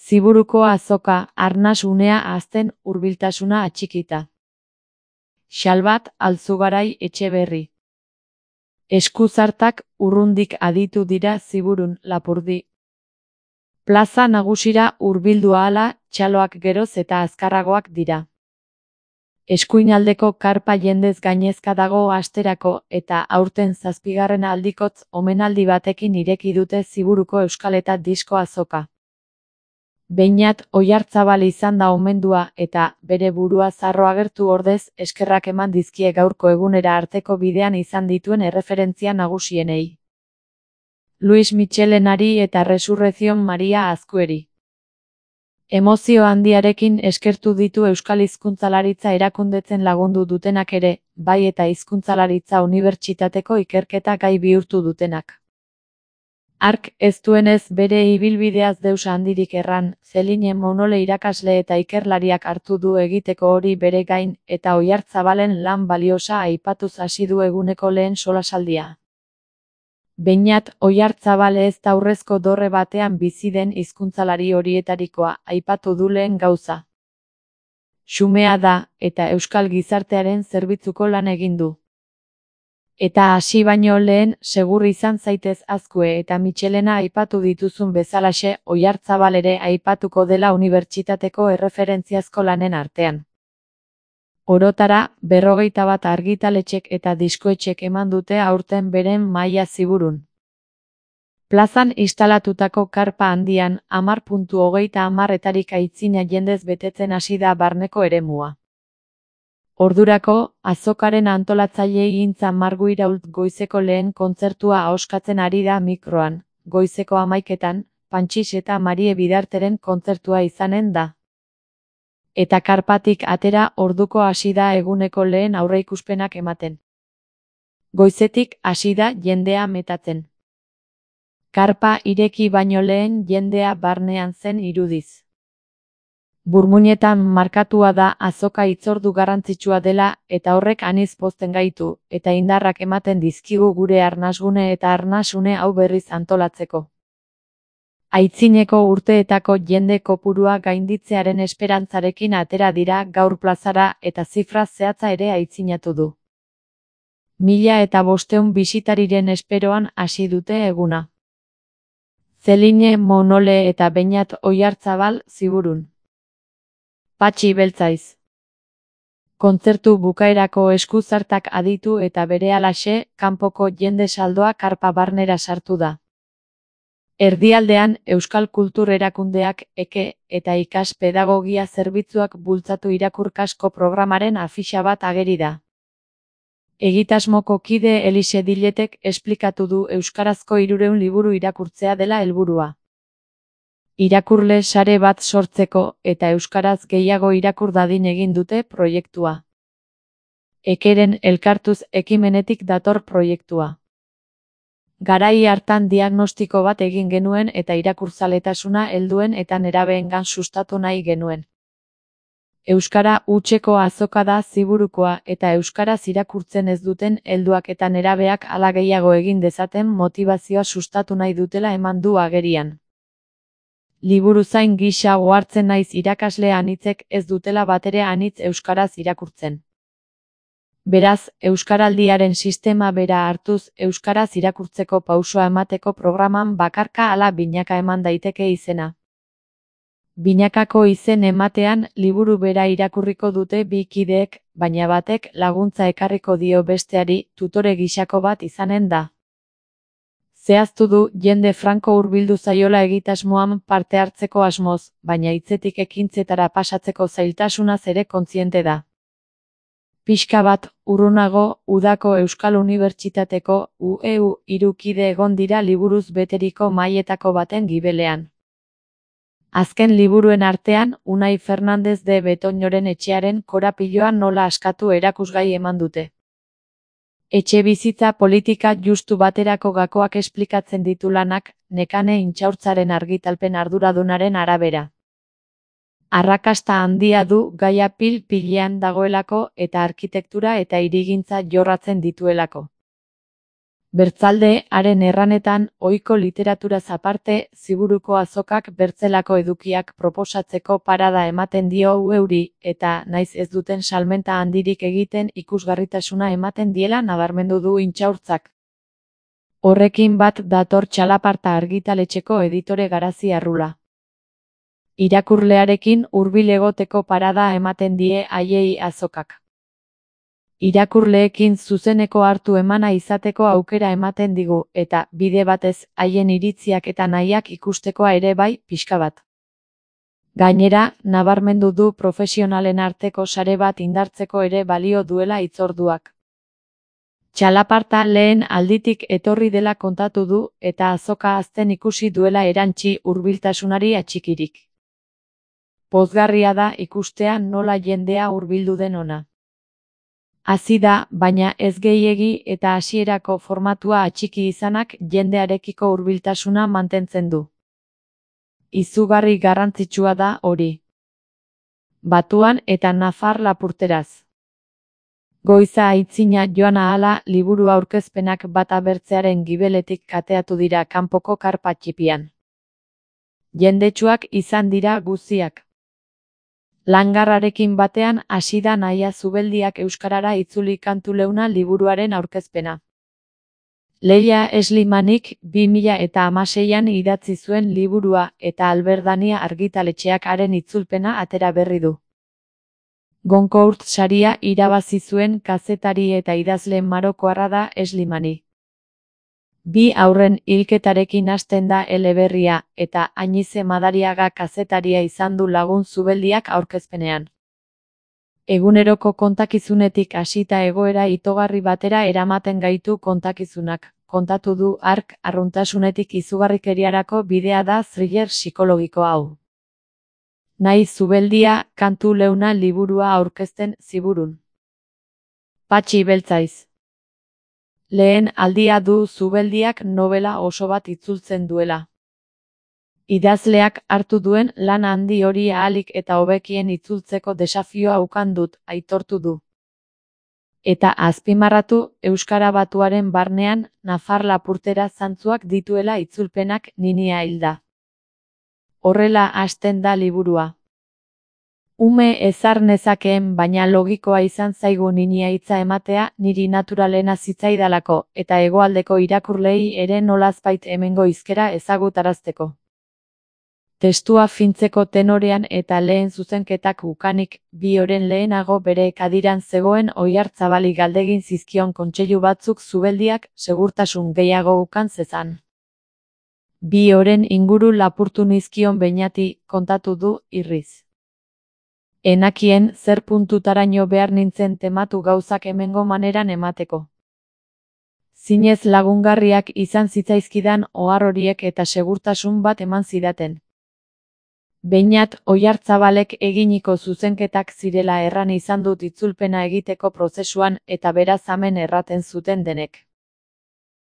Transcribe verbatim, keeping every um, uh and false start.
Ziburuko azoka, arnas unea hazten hurbiltasuna atxikita. Xalbat Alzugarai Etxeberri. Eskuzartak urrundik aditu dira Ziburun, Lapurdi. Plaza nagusira hurbildu ahala, txaloak geroz eta azkarragoak dira. Eskuinaldeko karpa jendez gainezka dago asterako eta aurten zazpigarren aldikotz omenaldi batekin ireki dute Ziburuko Euskal eta Disko azoka. Beñat Oiartzabal izan da omendua eta bere burua zarro agertu ordez eskerrak eman dizkie gaurko egunera arteko bidean izan dituen erreferentzia nagusienei. Luis Michelenari eta Resurrezion Maria Azkueri. Emozio handiarekin eskertu ditu euskal hizkuntzalaritza erakundetzen lagundu dutenak ere, bai eta hizkuntzalaritza unibertsitateko ikerketa gai bihurtu dutenak. Hark ez duenez bere ibilbideaz deus handirik erran, Zeline Monole irakasle eta ikerlariak hartu du egiteko hori bere gain eta Oiartzabalen lan baliosa aipatuz hasi du eguneko lehen solasaldia. Beñat Oiartzabal ez da aurrezko dorre batean bizi den hizkuntzalari horietarikoa, aipatu du lehen gauza. Xumea da, eta euskal gizartearen zerbitzuko lan egin du. Eta hasi baino lehen, segur izan zaitez Azkue eta Michelena aipatu dituzun bezalaxe Oiartzabal ere aipatuko dela unibertsitateko erreferentziazko lanen artean. Orotara, berrogeita bat argitaletxek eta diskoetxek eman dute aurten beren maila Ziburun. Plazan instalatutako karpa handian, hamar puntu hogeita hamarretarik aitzina jendez betetzen hasi da barneko eremua. Ordurako, azokaren antolatzaile gintza Margu Irault goizeko lehen kontzertua ahoskatzen ari da mikroan, goizeko hamaiketan, Pantxix eta Marie Bidarteren kontzertua izanen da. Eta karpatik atera orduko hasi da eguneko lehen aurreikuspenak ematen. Goizetik hasi da jendea metatzen. Karpa ireki baino lehen jendea barnean zen irudiz. Burmuinetan markatua da azoka hitzordu garrantzitsua dela eta horrek aniz pozten gaitu, eta indarrak ematen dizkigu gure arnasgune eta arnasune hau berriz antolatzeko. Aitzineko urteetako jende kopurua gainditzearen esperantzarekin atera dira gaur plazara eta zifra zehatza ere aitzinatu du. Mila eta bosteun bisitariren esperoan hasi dute eguna. Zeline Monole eta Beñat Oiartzabal Ziburun. Patxi Beltzaiz. Kontzertu bukaerako eskuzartak aditu eta berehalaxe, kanpoko jende saldoa karpa barnera sartu da. Erdialdean, Euskal Kultur Erakundeak, Eke, eta Ikas Pedagogia Zerbitzuak bultzatu irakurkasko programaren afixa bat ageri da. Egitasmoko kide Elixe Diletek esplikatu du euskarazko hirurehun liburu irakurtzea dela helburua. Irakurle sare bat sortzeko eta euskaraz gehiago irakur dadin egin dute proiektua. Ekeren elkartuz ekimenetik dator proiektua. Garai hartan diagnostiko bat egin genuen eta irakurzaletasuna helduen eta nerabeengan sustatu nahi genuen. Euskara hutseko azoka da Ziburukoa eta euskaraz irakurtzen ez duten helduak eta nerabeak hala gehiago egin dezaten motivazioa sustatu nahi dutela eman du agerian. Liburuzain gisa ohartzen naiz irakasle anitzek ez dutela batere anitz euskaraz irakurtzen. Beraz, euskaraldiaren sistema bera hartuz euskaraz irakurtzeko pausoa emateko programan bakarka ala binaka eman daiteke izena. Binakako izen ematean liburu bera irakurriko dute bi kideek, baina batek laguntza ekarriko dio besteari tutore gisako bat izanen da. Zehaztu du jende franko hurbildu zaiola egitasmoan parte hartzeko asmoz, baina hitzetik ekintzetara pasatzeko zailtasunaz ere kontziente da. Pixka bat, urrunago, udako Euskal Unibertsitateko U E U hiru kide egon dira liburuz beteriko mailetako baten gibelean. Azken liburuen artean, Unai Fernandez de Betoñoren etxearen korapiloa nola askatu erakusgai eman dute. Etxe bizitza politika justu baterako gakoak esplikatzen ditu lanak, Nekane Intxaurtzaren argitalpen arduradunaren arabera. Arrakasta handia du gaia pil-pilean dagoelako eta arkitektura eta hirigintza jorratzen dituelako. Bertzalde, haren erranetan, ohiko literaturaz aparte, Ziburuko azokak bertzelako edukiak proposatzeko parada ematen dio euri, eta, naiz ez duten salmenta handirik egiten ikusgarritasuna ematen diela nabarmendu du Intxaurtzak. Horrekin bat dator Txalaparta argitaletxeko editore Garazi Arrula. Irakurlearekin hurbil egoteko parada ematen die haiei azokak. Irakurleekin zuzeneko hartu emana izateko aukera ematen digu, eta, bide batez, haien iritziak eta nahiak ikustekoa ere bai, pixka bat. Gainera, nabarmendu du profesionalen arteko sare bat indartzeko ere balio duela hitzorduak. Txalaparta lehen alditik etorri dela kontatu du, eta azoka hazten ikusi duela erantsi hurbiltasunari atxikirik. Pozgarria da ikustea nola jendea hurbildu den ona. Hazi da, baina ez gehiegi eta hasierako formatua atxiki izanak jendearekiko hurbiltasuna mantentzen du. Izugarri garrantzitsua da hori. Batuan eta nafar lapurteraz. Goiza aitzina joan ahala liburu aurkezpenak bata bertzearen gibeletik kateatu dira kanpoko karpa txipian. Jendetsuak izan dira guziak. Langarrarekin batean hasi da Nahia Zubeldiak euskarara itzuli kantu leuna liburuaren aurkezpena. Leia Eslimanik bi mila eta hamaseian idatzi zuen liburua eta Alberdania argitaletxeak haren itzulpena atera berri du. Goncourt saria irabazi zuen kazetari eta idazle marokoarra da Eslimani. Bi aurren hilketarekin hasten da eleberria, eta Añize Madariaga kazetaria izan du lagun Zubeldiak aurkezpenean. Eguneroko kontakizunetik hasita egoera itogarri batera eramaten gaitu kontakizunak, kontatu du hark arruntasunetik izugarrikeriarako bidea da thriller psikologiko hau. Nahi Zubeldia kantu leuna liburua aurkezten Ziburun. Patxi Beltzaiz. Lehen aldia du Zubeldiak nobela oso bat itzultzen duela. Idazleak hartu duen lan handi hori ahalik eta hobekien itzultzeko desafioa ukan dut, aitortu du. Eta azpimarratu, euskara batuaren barnean, nafar lapurtera zantzuak dituela itzulpenak ninia hilda. Horrela hasten da liburua. Ume ezar nezakeen baina logikoa izan zaigu ninia hitza ematea niri naturalena zitzaidalako eta hegoaldeko irakurlei ere nolazbait hemengo hizkera ezagutarazteko. Testua fintzeko tenorean eta lehen zuzenketak ukanik, bi oren lehenago bere kadiran zegoen Oiartzabali galdegin zizkion kontseilu batzuk Zubeldiak segurtasun gehiago ukan zezan. Bi oren inguru lapurtu nizkion Beñati, kontatu du irriz. Enakien zer puntutaraino behar nintzen tematu gauzak hemengo maneran emateko. Zinez lagungarriak izan zitzaizkidan ohar horiek eta segurtasun bat eman zidaten. Beñat Oiartzabalek eginiko zuzenketak zirela erran izan dut itzulpena egiteko prozesuan eta beraz hemen erraten zuten denek.